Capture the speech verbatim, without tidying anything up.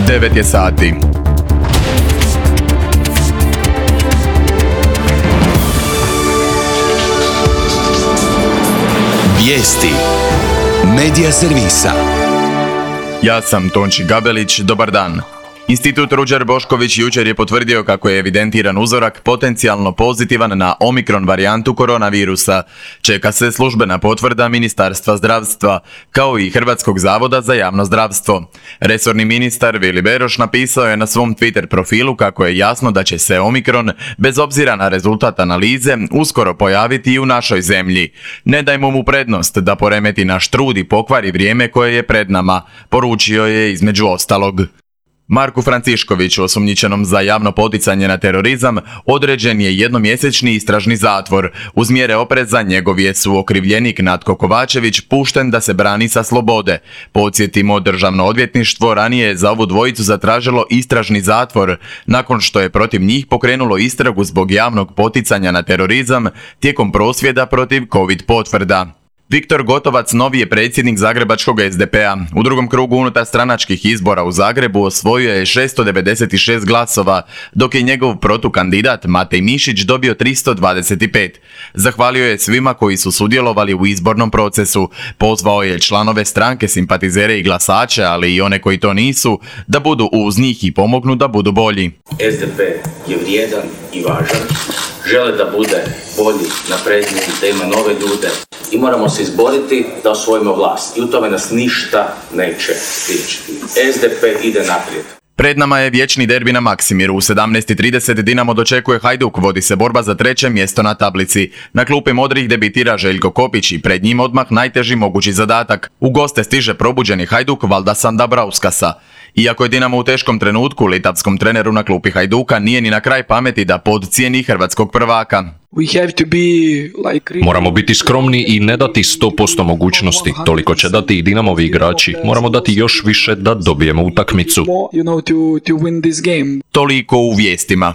devet je sati. Vijesti Medija servisa. Ja sam Tonči Gabelić, dobar dan. Institut Ruđer Bošković jučer je potvrdio kako je evidentiran uzorak potencijalno pozitivan na omikron varijantu koronavirusa. Čeka se službena potvrda Ministarstva zdravstva, kao i Hrvatskog zavoda za javno zdravstvo. Resorni ministar Vili Beroš napisao je na svom Twitter profilu kako je jasno da će se omikron, bez obzira na rezultat analize, uskoro pojaviti i u našoj zemlji. Ne dajmo mu prednost da poremeti naš trud i pokvari vrijeme koje je pred nama, poručio je između ostalog. Marku Franciškoviću, osumnjičenom za javno poticanje na terorizam, određen je jednomjesečni istražni zatvor. Uz mjere opreza njegov je suokrivljenik Natko Kovačević pušten da se brani sa slobode. Podsjetimo, Državno odvjetništvo ranije je za ovu dvojicu zatražilo istražni zatvor, nakon što je protiv njih pokrenulo istragu zbog javnog poticanja na terorizam tijekom prosvjeda protiv COVID potvrda. Viktor Gotovac novi je predsjednik zagrebačkog es de pe a. U drugom krugu unutar stranačkih izbora u Zagrebu osvojio je šesto devedeset šest glasova, dok je njegov protukandidat Matej Mišić dobio tristo dvadeset pet. Zahvalio je svima koji su sudjelovali u izbornom procesu. Pozvao je članove stranke, simpatizere i glasače, ali i one koji to nisu, da budu uz njih i pomognu da budu bolji. es de pe je vrijedan i važan, žele da bude bolji, napredniji, da ima nove ljude i moramo se izboriti da osvojimo vlast i u tome nas ništa neće spriječiti. es de pe ide naprijed. Pred nama je vječni derbi na Maksimiru. U sedamnaest i trideset Dinamo dočekuje Hajduk, vodi se borba za treće mjesto na tablici. Na klupi modrih debitira Željko Kopić i pred njim odmah najteži mogući zadatak. U goste stiže probuđeni Hajduk Valdasa Dabrauskasa. Iako je Dinamo u teškom trenutku, litavskom treneru na klupi Hajduka nije ni na kraj pameti da podcijeni hrvatskog prvaka. Moramo biti skromni i ne dati sto posto mogućnosti. Toliko će dati i Dinamovi igrači. Moramo dati još više da dobijemo utakmicu. Toliko u vijestima.